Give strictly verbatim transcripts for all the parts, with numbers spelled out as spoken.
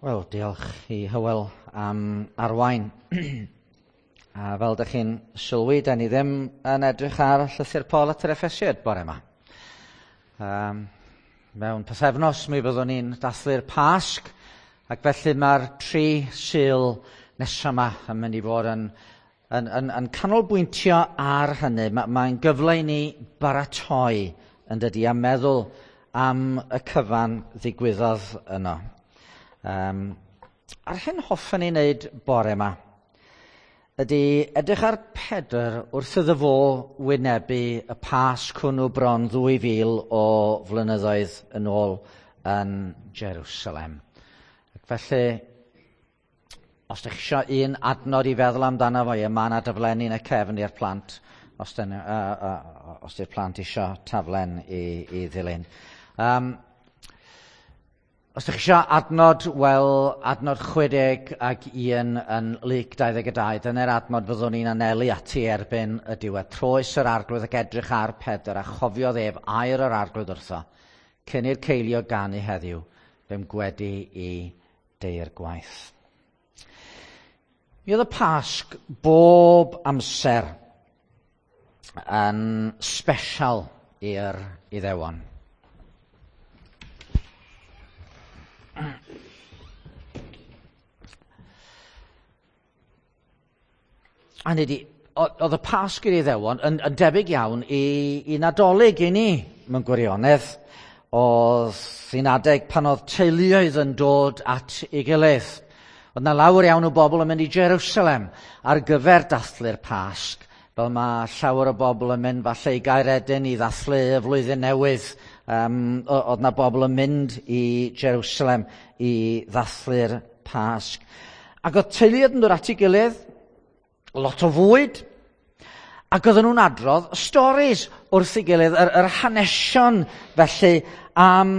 Wel, diolch i Hywel am arwain. A fel dych chi'n sylwi, da ni ddim yn edrych ar llythyr Paul at yr Effesiaid bore yma. Um, mewn pythefnos mi fyddwn ni'n dathlu'r Pasg, ac felly mae'r tri Sul nesaf yma yn mynd i fod yn, yn, yn, yn canolbwyntio ar hynny. Ma, mae'n gyfle i ni baratoi yn dydi a meddwl am y cyfan ddigwyddodd yno. Um, a'r hyn hoffen ni wneud bore yma ydy edrych ar Pedr wrth iddo fo wynebu y Pasg hwnnw bron ddwy fil o flynyddoedd yn ôl yn Jerusalem. Ac felly, os ydych chi eisiau un adnod i feddwl amdano fo, ie, mae yna daflenni yn y cefn i'r plant, os, dyn, uh, uh, os di'r plant eisiau taflen i, i ddilyn. Um, Os ydych chi eisiau adnod, wel, adnod chwe deg ag un yn Luc dau ddeg dau, dyna'r adnod fyddwn ni'n anelu ati erbyn y diwedd. Troes yr arglwydd ac edrych ar Pedr a chofiodd ef air yr arglwydd wrtho, cyn i'r ceilio ganu heddiw, fe'm gwedi i deir gwaith. Mi oedd y Pasg bob amser yn special i'r Iddewon. A nid i, oedd y Pasg i'r Iddewon yn, yn debyg iawn i, i Nadolig i ni mewn gwirionedd. Oedd hi'n adeg pan oedd teuluoedd yn dod at ei gilydd. Oedd na lawer iawn o bobl yn mynd i Jerusalem ar gyfer dathlu'r Pasg, fel mae llawer o bobl yn mynd falle i Gaeredin i ddathlu y flwyddyn newydd. Um, oedd na bobl yn mynd i Jerusalem i ddathlu'r Pasg. Ac oedd teuluoedd yn dod at ei gilydd, lot o fwyd, ac oedden nhw'n adrodd stories wrth ei gilydd, yr, yr hanesion felly am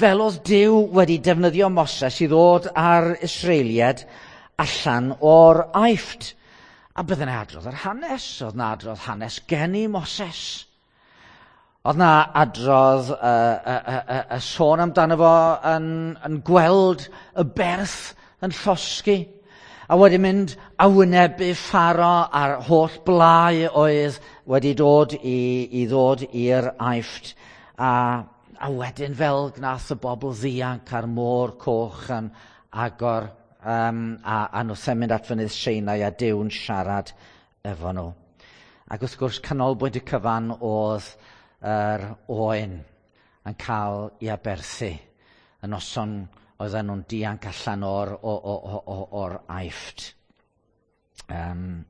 fel oedd Duw wedi defnyddio Moses i ddod â'r Israeliaid allan o'r Aifft. A bydden nhw'n adrodd yr hanes, oedd na adrodd hanes geni Moses. Oedd na adrodd y, y, y, y, y sôn amdano fo yn, yn gweld y berth yn llosgi, a wedi mynd a wynebu Pharo a'r holl blau oedd wedi dod i, i ddod i'r Aifft. A, a wedyn fel gnath y bobl ddianc a'r môr coch yn agor um, a, a nhw'n mynd at fynydd Sinai a Duw'n siarad efo nhw. Ac wrth gwrs canolbwynt y cyfan oedd yr oen yn cael ei aberthu y noson oedden nhw'n dianc allan o'r, o, o, o, o'r Aifft. Um,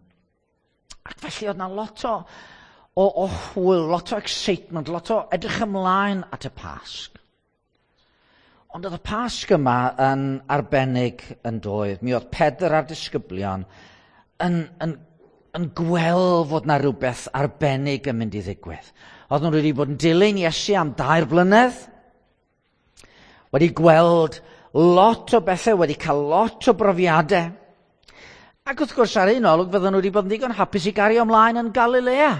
ac felly oedd na lot o, o, o hwyl, lot o excitement, lot o edrych ymlaen at y Pasg. Ond oedd y Pasg yma yn arbennig yn doedd. Mi oedd Pedr a'r disgyblion yn, yn, yn gweld fod na rhywbeth arbennig yn mynd i ddigwydd. Oedd nhw wedi bod yn dilyn Iesu am dair blynedd, wedi gweld lot o bethau, wedi cael lot o brofiadau. Ac wrth gwrs ar un olwg fydden nhw wedi bod yn ddigon hapus i gario ymlaen yn Galilea.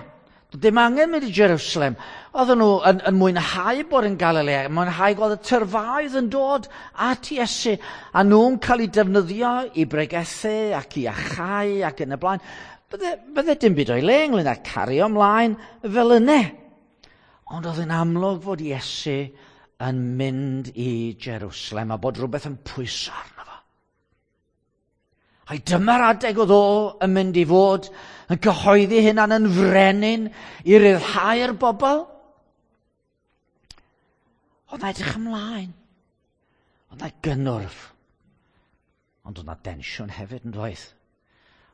Doedd dim angen mynd i Jerusalem. Oedden nhw yn, yn mwynhau bod yn Galilea, mwynhau gweld y tyrfaoedd yn dod at Iesu, a nhw'n cael eu defnyddio i bregethu ac i achau ac yn y blaen. Bydde, bydde dim byd o'i le ynglyn â cario ymlaen fel yna. Ond oedd yn amlwg fod Iesu yn mynd i Jerusalem a bod rhywbeth yn pwyso arno fo. Ai dyma'r adeg oedd o yn mynd i fod yn cyhoeddi hunan yn frenin i ryddhau'r bobl? Oedd na edrych ymlaen. Oedd na gynnwrf. Ond oedd na densiwn hefyd yn doedd.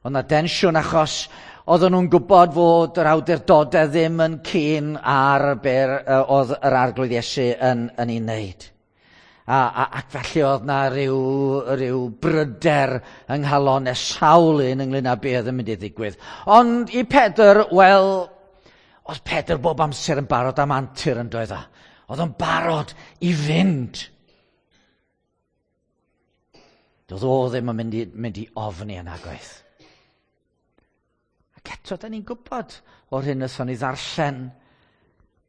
Oedd na densiwn achos oedden nhw'n gwybod fod yr awdurdodau ddim yn keen ar be oedd yr arglwydd Iesu yn, yn ei wneud. A, a, ac felly oedd na ryw, ryw bryder yng nghalon y sawl un ynglyn â be oedd yn mynd i ddigwydd. Ond i Pedr, wel, oedd Pedr bob amser yn barod am antur yn doedd o. Oedd o'n barod i fynd. Doedd o ddim yn mynd i, mynd i ofni yn agwaith. Ac eto, da ni'n gwybod o'r hyn wnaethon ni ddarllen,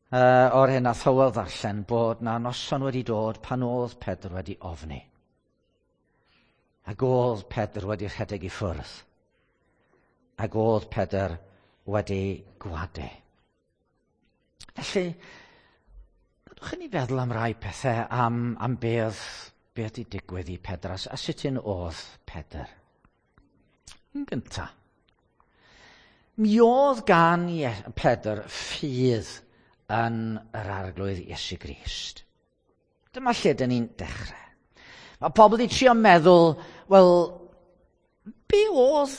uh, o'r hyn nath Hywel ddarllen, bod na noson wedi dod pan oedd Pedr wedi ofni. Ac oedd Pedr wedi rhedeg i ffwrdd. Ac oedd Pedr wedi gwadu. Felly, gadwch i ni feddwl am rai pethau am, am beth, beth 'di digwydd i Pedr a, a sut un oedd Pedr. Yn gyntaf, mi oedd gan Pedr ffydd yn yr Arglwydd Iesu Grist. Dyma lle dyn ni'n dechrau. Mae pobl wedi trio meddwl, wel, be oedd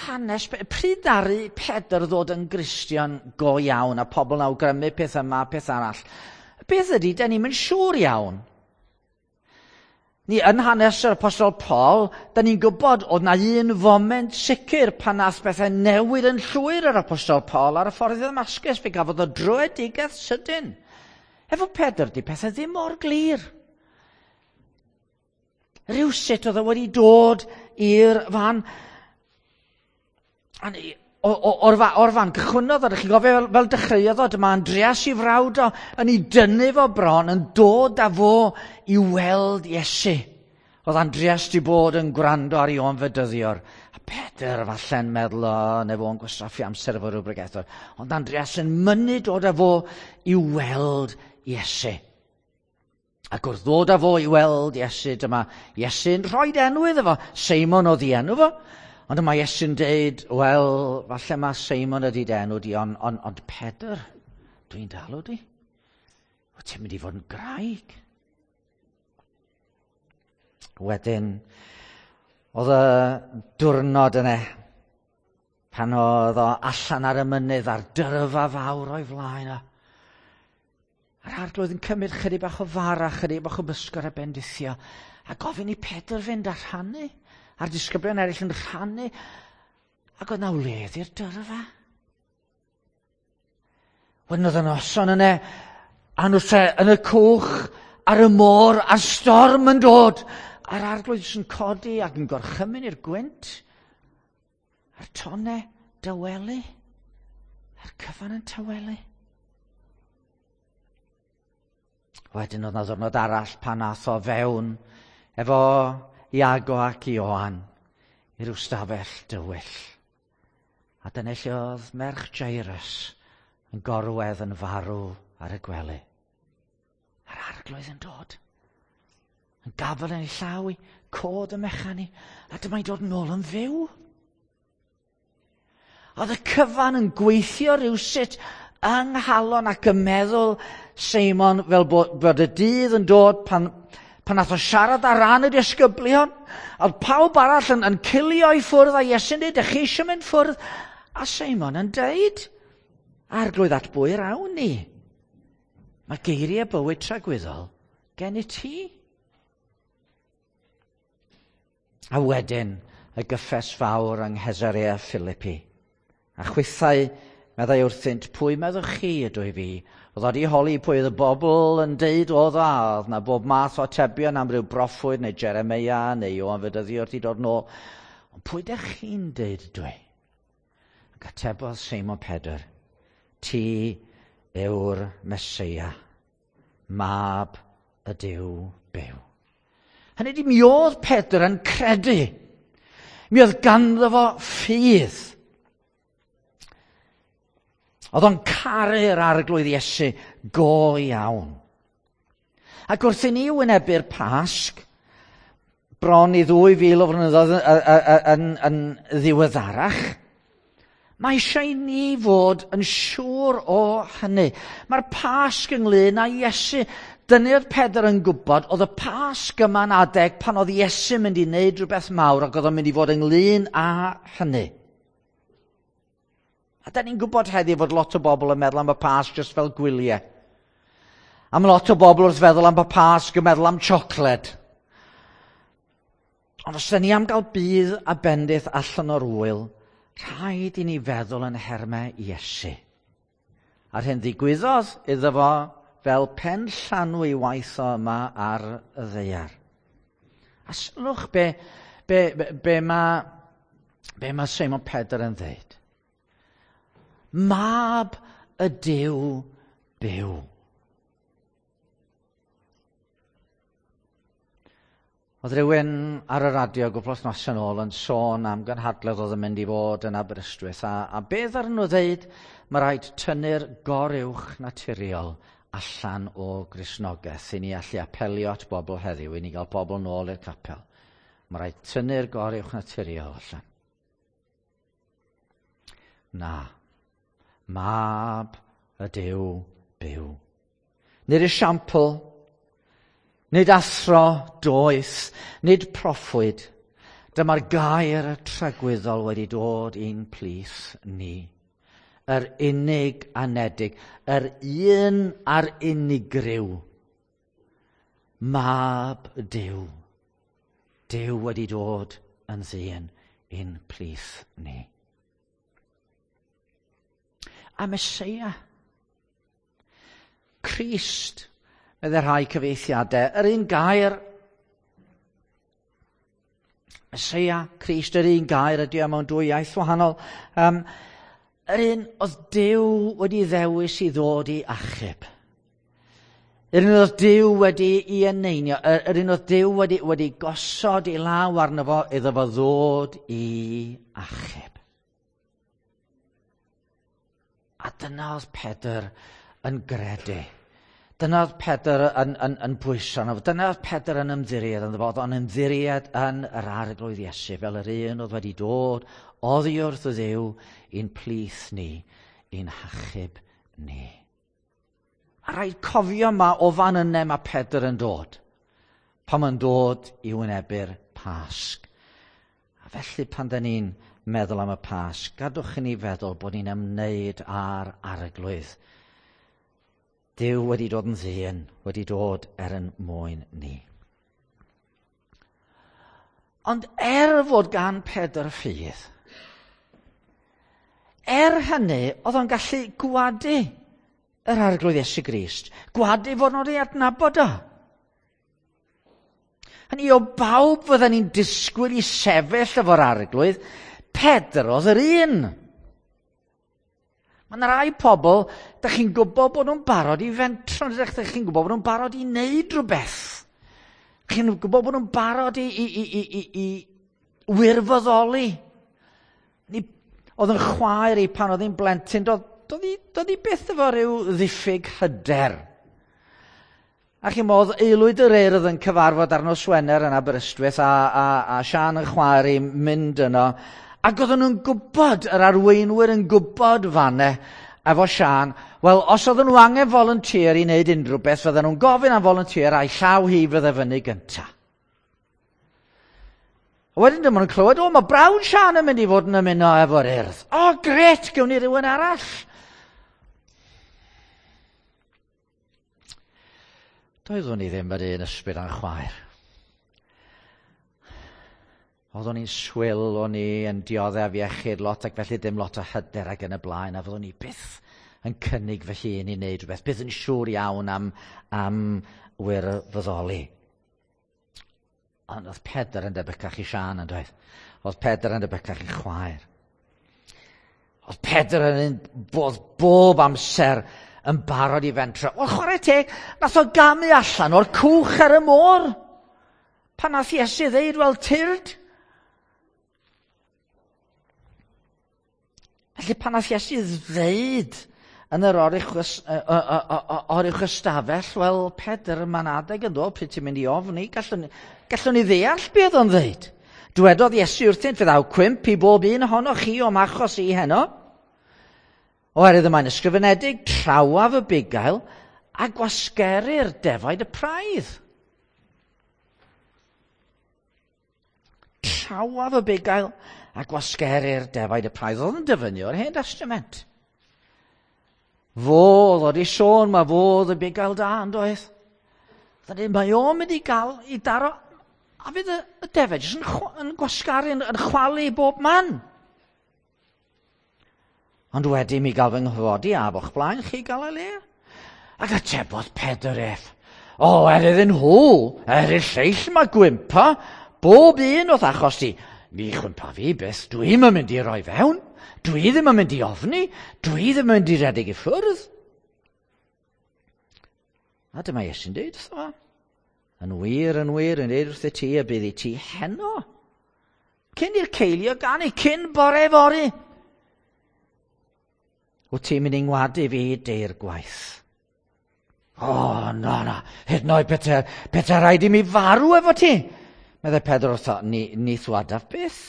hanes, pryd ddaru Pedr ddod yn Gristion go iawn a pobl yn awgrymu peth yma, peth arall. Beth ydy, da ni'm yn siŵr iawn. Ni yn hanes yr Apostol Paul, da ni'n gwybod oedd na un foment sicr pan nath bethau newid yn llwyr yr Apostol Paul ar y ffordd i Ddamascus, fe gafodd o dröedigaeth sydyn. Efo Pedr, di pethau ddim mor glir. Rhywsut oedd o wedi dod i'r fan. O'r fan, o'r fan gychwynnodd o, chi'n gofio fel, fel dechreuodd o, dyma Andreas i frawd o, yn ei dynnu fo bron, yn dod â fo i weld Iesu. Oedd Andreas di bod yn gwrando ar Ioan Fedyddiwr. A Pedr falle'n meddwl o, neu fo'n gwastraffu amser efo rhyw bregethwr. Ond Andreas yn mynnu dod â fo i weld Iesu. Ac wrth ddod â fo i weld Iesu, dyma Iesu'n rhoi enw iddo fo. Seimon oedd ei enw fo. Ond dyma Iesu'n deud, wel, falle mae Seimon ydi dy enw di, ond on, ond Pedr, dwi'n dalw di. Wyt ti'n mynd i fod yn graig. Wedyn, oedd y diwrnod yna, pan oedd o allan ar y mynydd a'r dyrfa fawr o'i flaen o. A'r Arglwydd yn cymryd chydig bach o fara, chydig bach o bysgod a bendithio, a gofyn i Pedr fynd a rhannu, a'r disgyblion eraill yn rhannu, ac oedd na wledd i'r dyrfa. Wedyn oedd y noson yna, a nhw yn y cwch, ar y môr, a'r storm yn dod, a'r Arglwydd sy'n codi ac yn gorchymyn i'r gwynt, a'r tonnau dawelu, a'r cyfan yn tawelu. Wedyn oedd na ddwrnod arall pan ath o fewn efo Iago ac Ioan i ryw stafell dywyll. A dyna lle oedd merch Jairus yn gorwedd yn farw ar y gwely. A'r Arglwydd yn dod. Yn gafel yn ei llaw i, cod y mechan i, a dyma'n dod nôl yn fyw. Oedd y cyfan yn gweithio rhywsut yng nghalon ac yn meddwl Seimon fel bod, bod y dydd yn dod pan, pan nath o siarad ar ran y disgyblion. Oedd pawb arall yn, yn cilio i ffwrdd a Iesu'n dweud, ydych chi eisiau mynd ffwrdd? A Seimon yn deud, Arglwydd, at bwy yr awn ni? Mae geiriau bywyd tragwyddol gen i ti. A wedyn y gyffes fawr yng Nghesarea Philippi. A chwithau meddai wrthynt, pwy meddwch chi ydw i fi? Oedd wedi holi pwy oedd y bobl yn deud oedd a, oedd na bob math o atebion am ryw broffwyd neu Jeremia neu Ioan Fedyddiwr wedi dod nôl. Ond pwy dych chi'n deud ydw i? Ac atebodd Seimon Pedr, ti yw'r Meseia, mab y Duw byw. Hynny ydi, mi oedd Pedr yn credu. Mi oedd ganddo fo ffydd. Oedd o'n caru'r Arglwydd Iesu go iawn. Ac wrth i ni wynebu'r Pasg, bron i ddwy fil o flynyddoedd yn, yn ddiweddarach, mae eisiau i ni fod yn siŵr o hynny. Mae'r Pasg ynglyn â Iesu. Dyna oedd Pedr yn gwybod, oedd y Pasg yma'n adeg pan oedd Iesu mynd i wneud rhywbeth mawr ac oedd o'n mynd i fod ynglyn â hynny. A da ni'n gwybod heddiw fod lot o bobl yn meddwl am y Pasg jyst fel gwyliau. A mae lot o bobl wrth feddwl am y Pasg yn meddwl am siocled. Ond os da ni am gael budd a bendith allan o'r ŵyl, rhaid i ni feddwl yn nhermau Iesu. A'r hyn ddigwyddodd iddo fo fel pen llanw i waith o yma ar y ddaear. A sylwch be, be, be, be mae be ma Seimon Pedr yn dweud. Mab y Duw byw. Oedd rhywun ar y radio gwpl wythnosau yn ôl yn sôn am gynhadledd oedd yn mynd i fod yn Aberystwyth, a, a beth ar nhw ddeud, mae rhaid tynnu'r goruwch naturiol allan o Gristnogaeth i ni allu apelio at bobl heddiw, i ni gael pobl nôl i'r capel. Mae rhaid tynnu'r goruwch naturiol allan. Na, mab y Duw byw. Nid esiampl, nid athro doeth, nid proffwyd. Dyma'r gair tragwyddol wedi dod i'n plith ni. Yr unig anedig, yr un a'r unigryw. Mab Duw. Duw wedi dod yn ddyn i'n plith ni. A Meseia. Crist, medde rhai cyfieithiadau, yr un gair, Meseia, Crist, yr un gair ydy o mewn dwy iaith wahanol. Um, yr un oedd Duw wedi ddewis i ddod i achub. Yr un oedd Duw wedi i eneinio, yr, yr un oedd Duw wedi, wedi gosod i law arno fo iddo fo ddod i achub. A dyna oedd Pedr yn gredu. Dyna oedd Pedr yn, yn, yn pwyso arno fo. Dyna oedd Pedr yn ymddiried ynddo fo. Oedd o'n ymddiried yn yr Arglwydd Iesu fel yr un oedd wedi dod oddi wrth y Dduw i'n plith ni, i'n hachub ni. A rhaid cofio yma o fan yna mae Pedr yn dod, pan mae'n dod i wynebu'r Pasg. A felly pan da ni'n meddwl am y Pasg, gadwch i ni feddwl bod ni'n ymwneud â'r Arglwydd. Duw wedi dod yn ddyn, wedi dod er yn mwyn ni. Ond er fod gan Pedr ffydd, er hynny, oedd o'n gallu gwadu yr Arglwydd Iesu Grist, gwadu fod nhw'n ei adnabod o. Hynny o bawb fydden ni'n disgwyl i sefyll efo'r Arglwydd, Pedr oedd yr un. Mae yna rai pobl, da chi'n gwybod bod nhw'n barod i fentro, da chi'n gwybod bod nhw'n barod i wneud rhywbeth. Chi'n gwybod bod nhw'n barod i, i, i, i, i, i wirfoddoli. Ni, oedd yn chwaer i pan oedd hi'n blentyn, doedd, doedd, hi, doedd hi byth efo rhyw ddiffyg hyder. A chi'n modd, Aelwyd yr Urdd yn cyfarfod ar nos Wener yn Aberystwyth a, a, a Sian yn chwaer i mynd yno. Ac oedden nhw'n gwybod, yr arweinwyr yn gwybod fanne efo Sian, wel, os oedden nhw angen volunteer i wneud unrhyw beth, fydden nhw'n gofyn am volunteer a'i llaw hi fydde fyny gynta. A wedyn dyma nhw'n clywed, o, mae brawd Sian yn mynd i fod yn ymuno efo'r Urdd. O, gret, gewn ni rhywun arall. Doeddwn i ddim yr un ysbryd a'n chwaer. Oeddwn i'n swil, o'n i yn dioddef iechyd lot ac felly dim lot o hyder ac yn y blaen, a fyddwn i byth yn cynnig fy hun i wneud rhywbeth, byth yn siŵr iawn am, am wirfoddoli. Ond oedd Pedr yn debycach i Sian yn doedd. Oedd Pedr yn debycach i chwaer. Oedd Pedr yn un bod bob amser yn barod i fentro. Wel, chwarae teg, nath o gamu allan o'r cwch ar y môr. Pan nath Iesu ddeud, wel, tyrd. Felly pan nath Iesu ddeud yn yr oruwch ystafell, wel, Pedr, mae'n adeg yn dod, pryd ti'n mynd i ofni, gallwn, gallwn ni ddeall beth o'n ddeud. Dwedodd Iesu wrthynt, fe ddaw cwymp i bob un ohonoch chi o'm achos i heno. Oherwydd y mae'n ysgrifenedig, trawaf y bugail a gwasgeru'r defaid y praidd. Trawaf y bugail a gwasgeru'r defaid y praidd. Oedd yn dyfynnu o'r Hen Testament. Fo, oedd i sôn, mae fo oedd y bugail da, yn doedd. Mae o'n mynd i gael i daro, a fydd y, y defaid jyst yn, yn gwasgaru, yn, yn chwalu bob man. Ond wedi mi gael fy nghyfodi a fo'ch blaen chi Galilea. Ac atebodd Pedr ef, o, er iddyn nhw, er i'r lleill mae gwympa, bob un o'th achos ti. Mi chwympa fi byth, dwi'm yn mynd i roi fewn, dwi ddim yn mynd i ofni, dwi ddim yn mynd i redeg i ffwrdd. A dyma Iesu'n dweud wrtho fo, Yn wir, yn wir, yn dweud wrthyt ti y bydd i ti heno. Cyn i'r ceilio ganu, cyn bore fory. Wyt ti'n mynd i ngwadu fi deir gwaith? O, oh, na, na, hyd yn oed pete, pete rhaid i mi farw efo ti. Meddai Pedr wrtho, ni, ni thwadaf byth.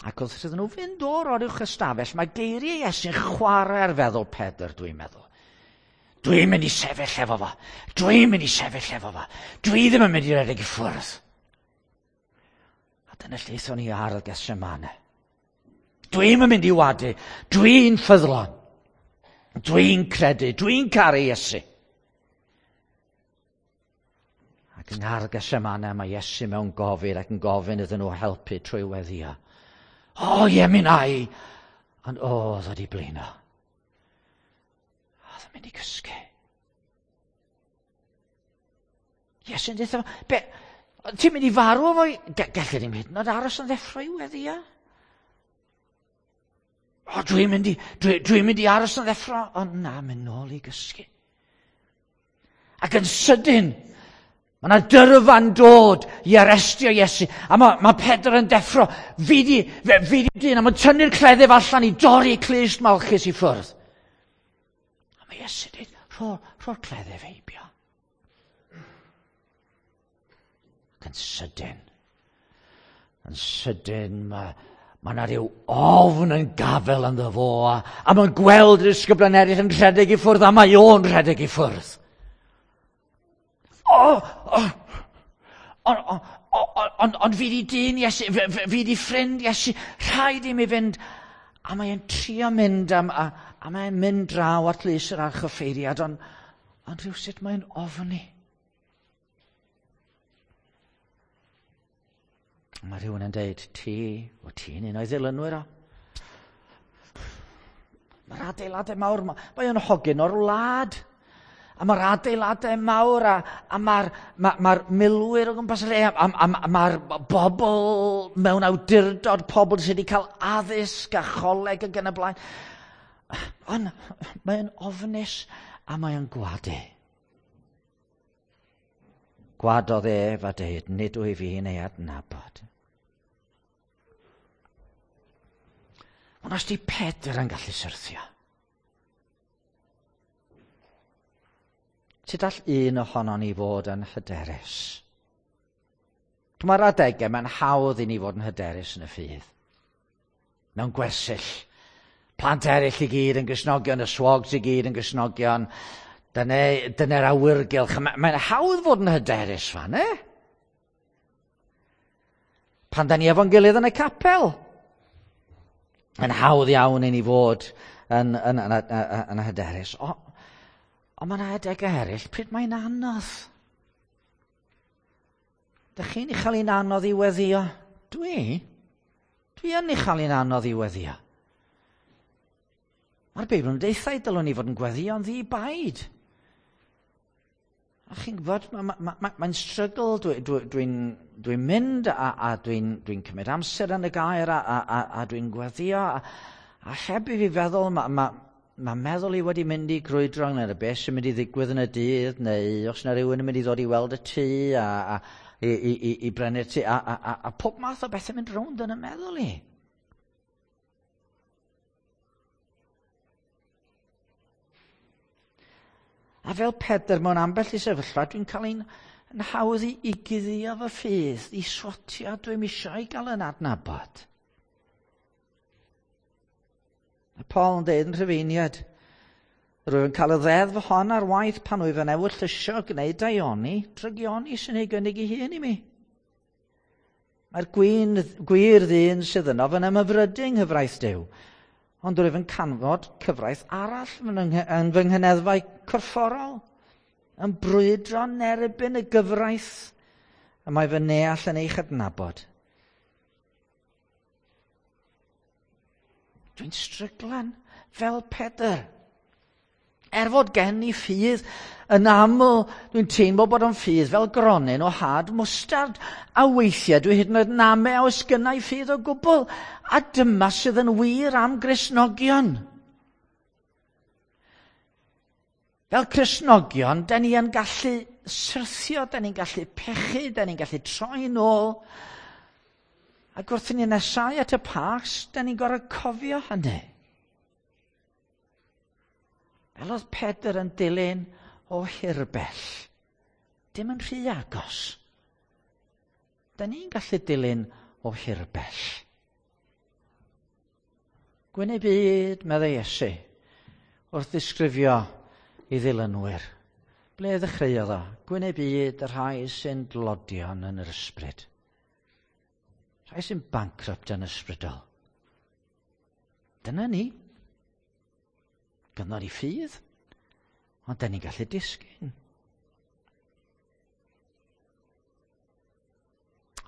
Ac wrth iddyn nhw fynd o'r oruwch ystafell, mae geiriau Iesu'n chwarae ar feddwl Pedr, dwi'n meddwl. Dwi'n mynd i sefyll efo fo. Dwi'n mynd i sefyll efo fo. Dwi ddim yn mynd i redeg i ffwrdd. A dyna lle aethon ni ar y Gethsemane. Dwi'n mynd i wadu. Dwi'n ffyddlon. Dwi'n credu. Dwi'n caru Iesu. Ac yng ngardd Gethsemane mae Iesu mewn gofid ac yn gofyn iddyn nhw helpu trwy weddio. O, ie, mi na i. Ond o, oedd wedi blino. Oedd yn mynd i gysgu. Iesu'n dweud, be, ti'n mynd i farw efo? Gellir ddim hyd yn oed aros yn ddeffro i weddio. O, dwi'n mynd i, dwi, dwi'n mynd i aros yn ddeffro. Ond na, mynd nôl i gysgu. Ac yn sydyn, mae yna dyrfa'n dod i arestio Iesu. A mae, mae Pedr yn deffro. Fi di, fi di dyn, a mae'n tynnu'r cleddyf allan i dorri clust Malchus i ffwrdd. A mae Iesu dweud, rho, rho'r cleddyf heibio. Ac yn sydyn, yn sydyn mae, mae yna rhyw ofn yn gafel ynddo fo, a, a mae'n gweld yr disgyblion eraill yn rhedeg i ffwrdd, a mae o'n rhedeg i ffwrdd. O, o, ond on, on, fi di dyn Iesu, fi, fi di ffrind Iesu, rhaid i mi fynd. A mae'n trio mynd, am, a, a mae'n mynd draw at lys yr archoffeiriad, ond on rhywsut mae'n ofni. Mae rhywun yn deud, ti, o ti'n un o'i ddilynwyr o. Mae'r adeiladau mawr, mae o'n hogyn o'r wlad. A mae'r adeiladau mawr, a, a mae'r ma, ma milwyr o gwmpas y lle, a, a, a, a mae'r bobl mewn awdurdod, pobl sydd wedi cael addysg a choleg ac yn y blaen. Ond mae'n ofnus a mae'n gwadu. Gwadodd ef a deud, nid wyf fi'n ei adnabod. Ond os di Pedr yn gallu syrthio, sut all un ohonon ni fod yn hyderus? Mae'r adegau, mae'n hawdd i ni fod yn hyderus yn y ffydd. Mewn gwersyll. Plant eraill i gyd yn Gristnogion, y swogs i gyd yn Gristnogion. Dyna, dyna'r awyrgylch. Mae'n hawdd fod yn hyderus fan, e? Pan da ni efo'n gilydd yn y capel. Yn hawdd iawn i ni fod yn, yn, yn, yn, yn hyderus. O, ond mae yna adegau eraill pryd mae'n anodd. Dych chi'n ei chael hi'n anodd i weddio? Dwi? Dwi yn ei chael hi'n anodd i weddio. Mae'r Beibl yn deithau dylwn ni fod yn gweddio'n ddi-baid. A chi'n gwybod, mae'n ma, ma, ma, ma struggle, dwi'n dwi, dwi, dwi mynd a, a dwi'n dwi cymryd amser yn y gair a, a, a, a dwi'n gweddio. A, a heb i fi feddwl, mae ma, ma meddwl i wedi mynd i grwydro ynglyn â beth sy'n mynd i ddigwydd yn y dydd, neu os yna rhywun yn mynd i ddod i weld y tŷ a, a, i, i, i, i brynu'r tŷ, a, a, a, a pob math o bethau mynd rownd yn y meddwl i. A fel Pedr mewn ambell i sefyllfa, dwi'n cael ein yn hawdd i, i guddio fy ffydd, i swatio, dwi'm eisiau i gael yn adnabod. A Paul yn deud yn Rhufeiniad, rwyf yn cael y ddeddf hon ar waith pan wyf yn ewyllysio gwneud daioni, drygioni sy'n ei gynnig ei hun i mi. Mae'r gwyn, gwir ddyn sydd yno yn ymhyfrydu yng nghyfraith Duw, ond rwyf yn canfod cyfraith arall yn fy nghyneddfau corfforol, yn brwydro yn erbyn y gyfraith, y mae fy neall yn ei chydnabod. Dwi'n stryglan fel Pedr. Er fod gen i ffydd, yn aml dwi'n teimlo bod o'n ffydd fel gronyn o had mwstard, a weithiau dwi hyd yn oed yn ame a oes gynna i ffydd o gwbl. A dyma sydd yn wir am Gristnogion. Fel Cristnogion, da ni yn gallu syrthio, da ni'n gallu pechu, da ni'n gallu troi nôl. Ac wrth i ni nesau at y Pasg, da ni'n gorfod cofio hynny. Fel oedd Pedr yn dilyn o hirbell, dim yn rhy agos. Da ni'n gallu dilyn o hirbell. Gwyn eu byd, meddai Iesu, wrth ddisgrifio i ddilynwyr. Ble ddechreuodd o? Gwyn eu byd y rhai sy'n dlodion yn yr ysbryd. Rhai sy'n bankrupt yn ysbrydol. Dyna ni. Gynnon ni ffydd, ond da ni'n gallu disgyn.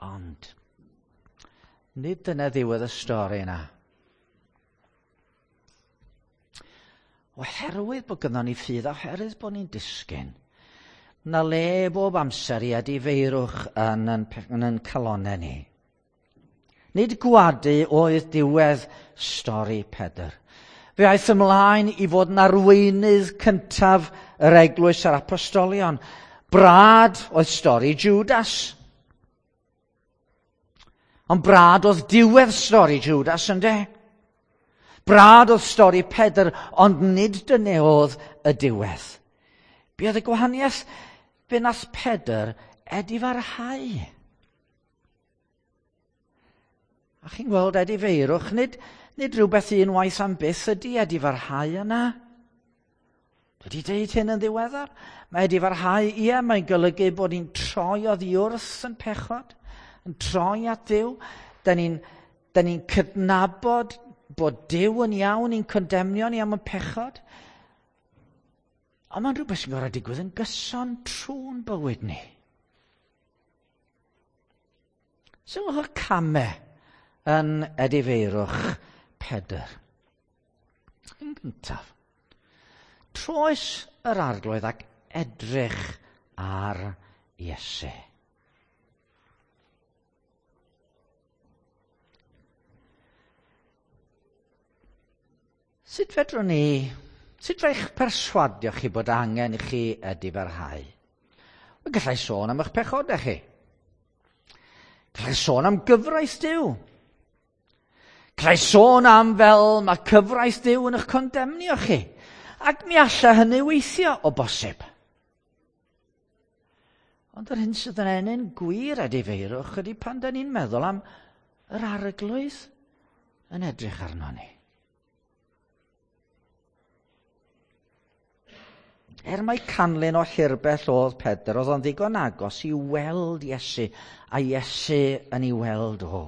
Ond, nid dyna ddiwedd y stori yna. Oherwydd bod gynnon ni ffydd, oherwydd bod ni'n disgyn, na le bob amser i edifeirwch yn yn, yn, yn calonau ni. Nid gwadu oedd diwedd stori Pedr. Fe aeth ymlaen i fod yn arweinydd cyntaf yr eglwys a'r apostolion. Brad oedd stori Judas. Ond brad oedd diwedd stori Judas, ynde? Brad oedd stori Pedr, ond nid dyna oedd y diwedd. Be oedd y gwahaniaeth? Fe nath Pedr edifarhau. A chi'n gweld edifeirwch, nid, nid rhywbeth unwaith am byth ydy edifarhau yna. Dwi wedi deud hyn yn ddiweddar. Mae edifarhau, ie, mae'n golygu bod ni'n troi oddi wrth yn pechod, yn troi at Dduw. Da ni'n da ni'n cydnabod bod Duw yn iawn i'n condemnio ni am y pechod. Ond mae'n rhywbeth sy'n gorfod digwydd yn gyson trwy'n bywyd ni. Sylwch y camau yn edifeirwch Pedr. Yn gyntaf, troes yr Arglwydd ac edrych ar Iesu. Sut fedrwn ni, sut fe'ch perswadio chi bod angen i chi edifarhau? Wel, gallai sôn am eich pechodau chi. Gallai sôn am gyfraith Duw. Gallai sôn am fel mae cyfraith Duw yn eich condemnio chi. Ac mi alla hynny weithio o bosib. Ond yr hyn sydd yn ennyn gwir edifeirwch ydy pan da ni'n meddwl am yr Arglwydd yn edrych arno ni. Er mai canlyn o hirbell oedd Pedr, oedd o'n ddigon agos i weld Iesu, a Iesu yn ei weld o.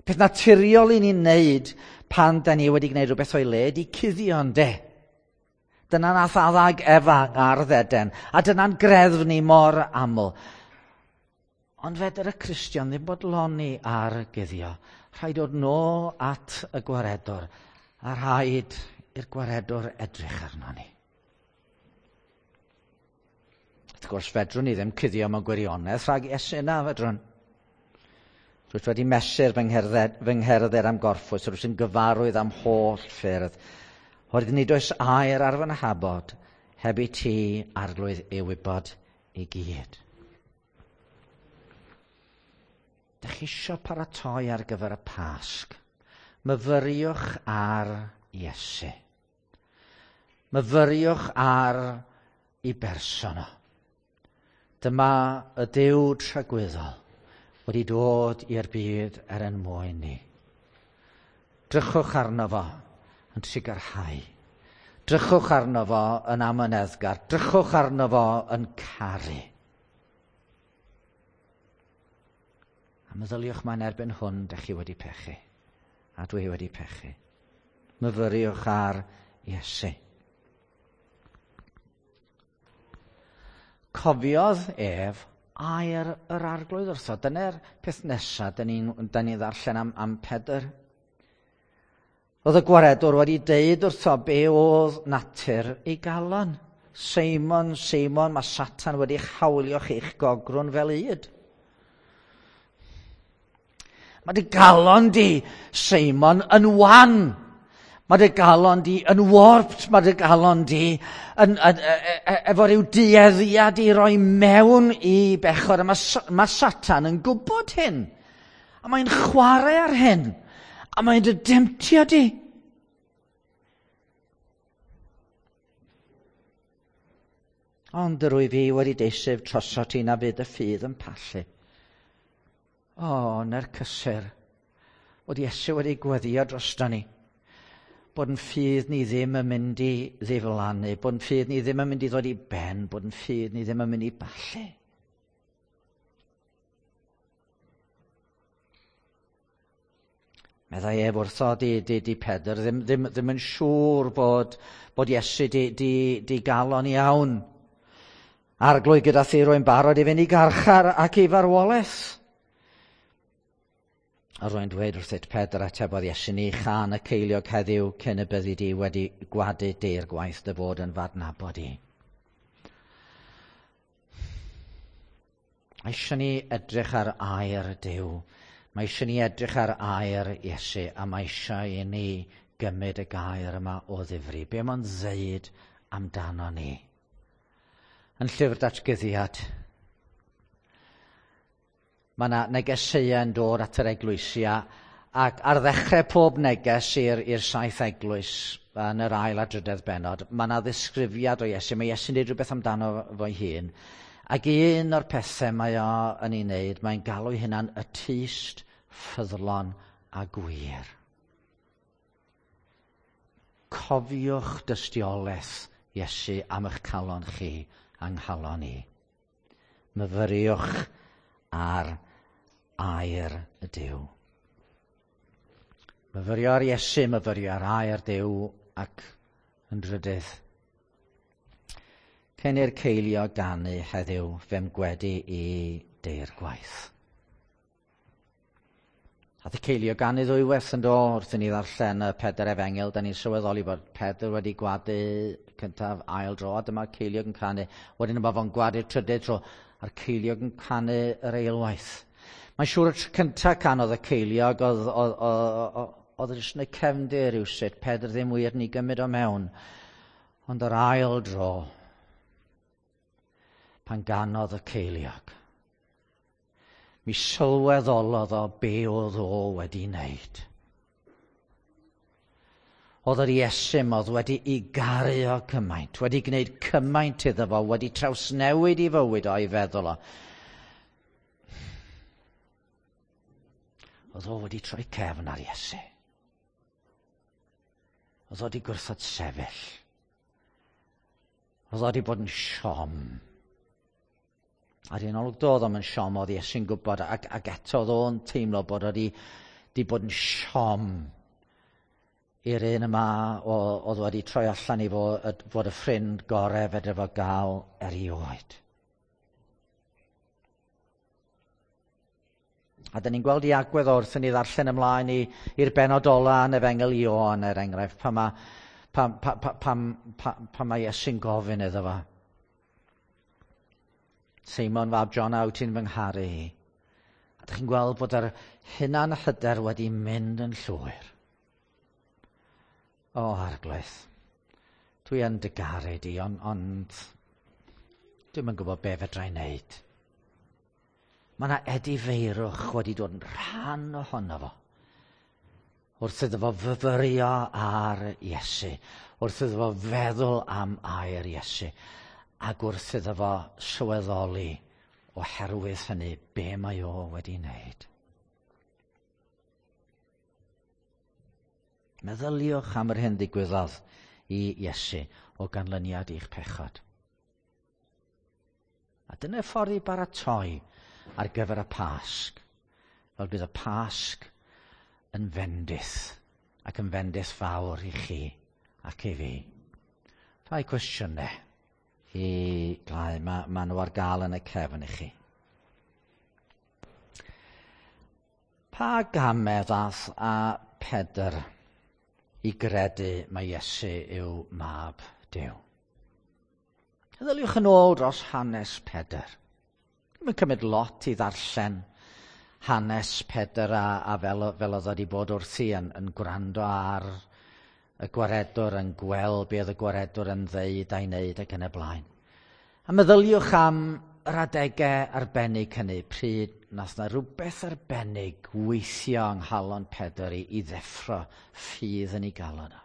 Peth naturiol i ni'n neud pan da ni wedi gwneud rhywbeth o'i le ydy cuddio, ynde? Dyna nath Adda Efa ar Eden, a dyna'n greddf ni mor aml. Ond fedr y Cristion ddim bodloni ar guddio. Rhaid dod nôl at y gwaredwr, a rhaid i'r gwaredwr edrych arno ni. Wrth gwrs, fedrwn ni ddim cuddio mewn gwirionedd rhag Iesu na, fedrwn. Rwyt wedi mesur fy ngherdded, fy ngherdded am gorffwys, rwyt yn gyfarwydd am holl ffyrdd. Oherwydd nid oes air ar fy nhabod, heb i ti, Arglwydd, ei wybod i gyd. Dych chi isio paratoi ar gyfer y Pasg? Myfyriwch ar Iesu. Myfyriwch ar ei berson o. Dyma y Duw tragwyddol wedi dod i'r byd er ein mwyn ni. Drychwch arno fo yn trugarhau. Drychwch arno fo yn amyneddgar. Drychwch arno fo yn caru. A meddyliwch mae'n erbyn hwn, dych chi wedi pechu. A dwi wedi pechu. Myfyriwch ar Iesu. Cofiodd ef air yr Arglwydd wrtho. Dyna'r peth nesaf da ni'n ni ddarllen am, am Pedr. Oedd y gwaredwr wedi deud wrtho be oedd natur ei galon. Seimon, Seimon, mae Satan wedi hawlio chi'ch gogrwn fel ŷd. Mae dy galon di, Seimon, yn wan. Mae dy galon di yn warped, mae dy galon di yn, yn, e, efo rhyw dueddiad i roi mewn i bechod. A mae, mae Satan yn gwybod hyn. A mae'n chwarae ar hyn. A mae'n dy demtio di. Ond yr wyf fi wedi deisef trosot ti na fydd y ffydd yn pallu. O, na'r cysur. Bod Iesu wedi gweddio drosto ni. Bod yn ffydd ni ddim yn mynd i ddiflannu, bod yn ffydd ni ddim yn mynd i ddod i ben, bod yn ffydd ni ddim yn mynd i ballu. Meddai ef wrtho di, di, di Pedr, ddim, ddim, ddim yn siŵr bod, bod Iesu di, di, di galon iawn. Arglwydd gyda thi rwy'n barod i fynd i garchar ac i farwolaeth. A rwy'n dweud wrthyt Pedr, atebodd Iesu, ni chan y ceiliog heddiw cyn y byddi di wedi gwadu deir gwaith dy fod yn fadnabod i. Mae eisiau ni edrych ar air Duw. Mae eisiau ni edrych ar air Iesu, a mae eisiau i ni gymryd y gair yma o ddifri. Be mae'n ddeud amdano ni? Yn llyfr Datguddiad, mae yna negeseuau yn dod at yr eglwysi, ac ar ddechrau pob neges i'r, i'r saith eglwys yn yr ail a drydedd bennod, mae yna ddisgrifiad o Iesu. Mae Iesu'n dweud rhywbeth amdano fo'i hun. Ac un o'r pethau mae o yn ei wneud, mae'n galw ei hunan y tyst ffyddlon a gwir. Cofiwch dystiolaeth Iesu am eich calon chi a'n nghalon i. Myfyriwch ar air y Duw. Myfyrio ar Iesu, myfyrio ar air Duw ac yn drydydd. Cyn i'r ceiliog ganu heddiw, fe'm gwedi i deir gwaith. Ath y ceiliog ganu ddwywaith yn do, wrth i ni ddarllen y Pedr Efengyl, da ni'n sylweddoli bod Pedr wedi gwadu cyntaf ail dro, a dyma'r ceiliog yn canu. Wedyn yma fo'n gwadu'r trydydd tro, a'r ceiliog yn canu yr eilwaith. Mae'n siŵr y tro cyntaf canodd y ceiliog, oedd, oedd, oedd, oedd jyst yn y cefndir rywsut, Pedr ddim wir yn ei gymryd o mewn. Ond yr ail dro, pan ganodd y ceiliog, mi sylweddolodd o be oedd o wedi wneud. Oedd yr Iesu oedd wedi ei garu o cymaint, wedi gwneud cymaint iddo fo, wedi trawsnewid ei fywyd o'i feddwl o. Oedd o wedi troi cefn ar Iesu. Oedd o wedi gwrthod sefyll. Oedd o wedi bod yn siom. Ar un olwg doedd o'm yn siom, oedd Iesu'n gwybod, ac, ac eto oedd o'n teimlo bod o wedi, wedi bod yn siom i'r un yma oedd wedi troi allan i fod, fod y ffrind gorau fedre fo gael erioed. A dyn ni'n gweld i agwedd wrth i ni ddarllen ymlaen i'r bennod ola yn Efengyl Ioan, er enghraifft, pan mae, pan, pan, pan, pan, pan mae Iesu'n gofyn iddo fo. Seimon fab Jona, wyt ti'n fy ngharu i? A dych chi'n gweld bod yr hunan hyder wedi mynd yn llwyr. O, Arglwydd, dwi yn dy garu di, ond, ond dwi'm yn gwybod be fedra i wneud. Mae yna edifeirwch wedi dod yn rhan ohono fo. Wrth iddo fo fyfyrio ar Iesu, wrth iddo fo feddwl am air Iesu, ac wrth iddo fo sylweddoli oherwydd hynny be mae o wedi wneud. Meddyliwch am yr hyn ddigwyddodd i Iesu o ganlyniad i'ch pechod. A dyna ffordd i baratoi ar gyfer y Pasg, fel bydd y Pasg yn fendith, ac yn fendith fawr i chi ac i fi. Rhai cwestiynau i glau, mae ma nhw ar gael yn y cefn i chi. Pa gamau ddath a Pedr i gredu mai Iesu yw mab Duw? Meddyliwch yn ôl dros hanes Pedr. Mae'n cymryd lot i ddarllen hanes Pedr a, a fel, fel oedd wedi bod wrthi yn, yn gwrando ar y gwaredwr, yn gweld be oedd y gwaredwr yn ddeud a'i wneud ac yn y blaen. A meddyliwch am yr adegau arbennig hynny, pryd nath na rhywbeth arbennig weithio yng nghalon Pedr i, i ddeffro ffydd yn ei galon o.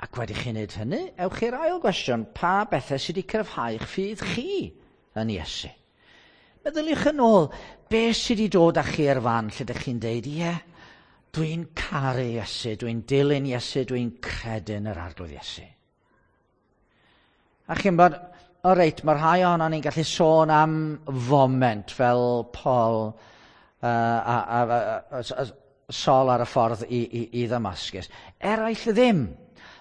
Ac wedi chi wneud hynny, ewch i'r ail gwestiwn, pa bethau sydd wedi cryfhau eich ffydd chi yn Iesu? Meddyliwch yn ôl, be sydd wedi dod â chi i'r fan lle ydych chi'n deud, ie, dwi'n caru Iesu, dwi'n dilyn Iesu, dwi'n credu yn yr Arglwydd Iesu. A chi'n bod, o reit, mae rhai ohonon ni'n gallu sôn am foment fel Paul uh, a, a, a, a, a, Saul ar y ffordd i, i, i Ddamascus. Eraill ddim.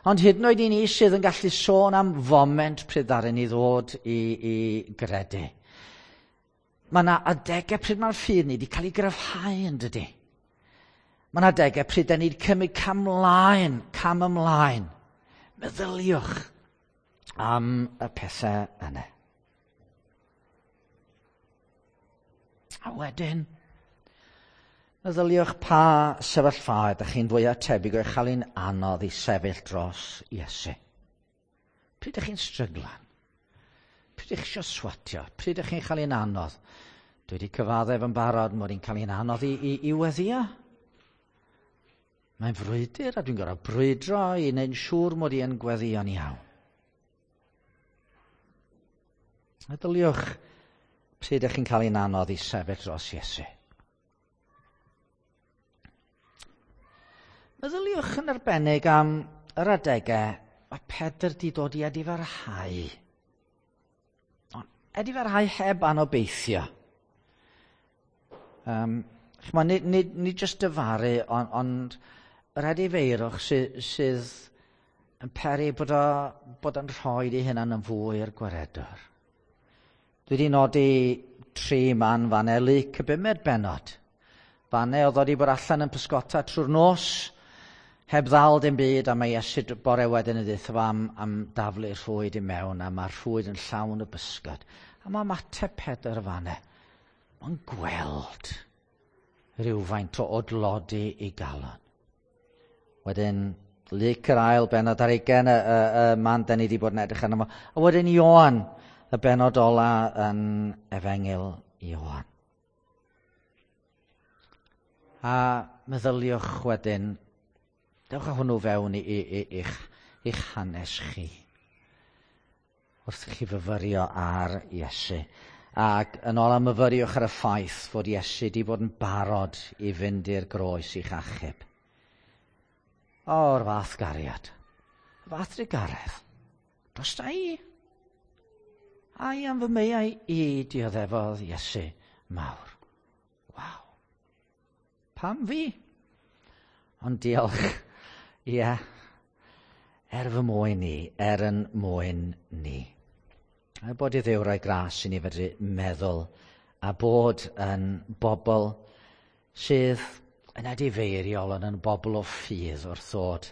Ond hyd yn oed i ni sydd yn gallu sôn am foment pryd ddaru ni ddod i, i gredu. Mae yna adegau pryd mae'r ffydd ni wedi cael ei gryfhau yn dydy. Mae yna adegau pryd da ni wedi cymryd cam ymlaen, cam ymlaen. Meddyliwch am y pethau yna. A wedyn, meddyliwch pa sefyllfa ydych chi'n fwyaf tebyg o'i chael hi'n anodd i sefyll dros Iesu. Pryd ydych chi'n stryglan? Pryd ydych chi eisiau swatio? Pryd ydych chi'n chael hi'n anodd? Dwi wedi cyfaddef yn barod mod i'n cael hi'n anodd i, i, i weddio. Mae'n frwydr a dwi'n gorfod brwydro i wneud yn siŵr mod i yn gweddio'n iawn. Meddyliwch pryd ydych chi'n cael hi'n anodd i sefyll dros Iesu. Meddyliwch yn arbennig am yr adegau mae Pedr wedi dod i edifarhau. Ond edifarhau heb anobeithio. Um, ch'mo, nid, nid, nid jyst dyfaru, ond, ond yr edifeirwch sydd, sydd yn peri bod, o, bod o'n rhoi ei hunan yn fwy i'r gwaredwr. Dwi wedi nodi tri man fan Luc y bumed bennod. Fanne oedd wedi bod allan yn pysgota trwy'r nos, heb ddal dim byd, a mae Iesu bore wedyn yn deutha fo am, am daflu'r rhwyd i mewn, a mae'r rhwyd yn llawn o bysgod. A mae ymateb Pedr fanne, mae'n gweld rhywfaint o odlodi i galon. Wedyn, Luc yr ail bennod ar ugain, y, y, y man da ni wedi bod yn edrych arno fo. A wedyn Ioan, y bennod ola yn Efengyl Ioan. A meddyliwch wedyn, dewch â hwnnw fewn i, i, i, i'ch, i'ch hanes chi. Wrth i chi fyfyrio ar Iesu. Ac yn ôl am myfyriwch ar y ffaith fod Iesu wedi bod yn barod i fynd i'r groes i'ch achub. O'r fath gariad, y fath drugaredd, dros da i. Ai am fy meiau i dioddefodd Iesu mawr. Waw. Pam fi? Ond diolch, ie, er fy mwyn i, er yn mwyn ni. A bod i Dduw roi gras i ni fedru meddwl a bod yn bobl sydd yn edifeiriol ond yn bobl o ffydd wrth ddod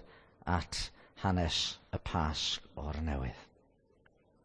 at hanes y Pasg o'r newydd.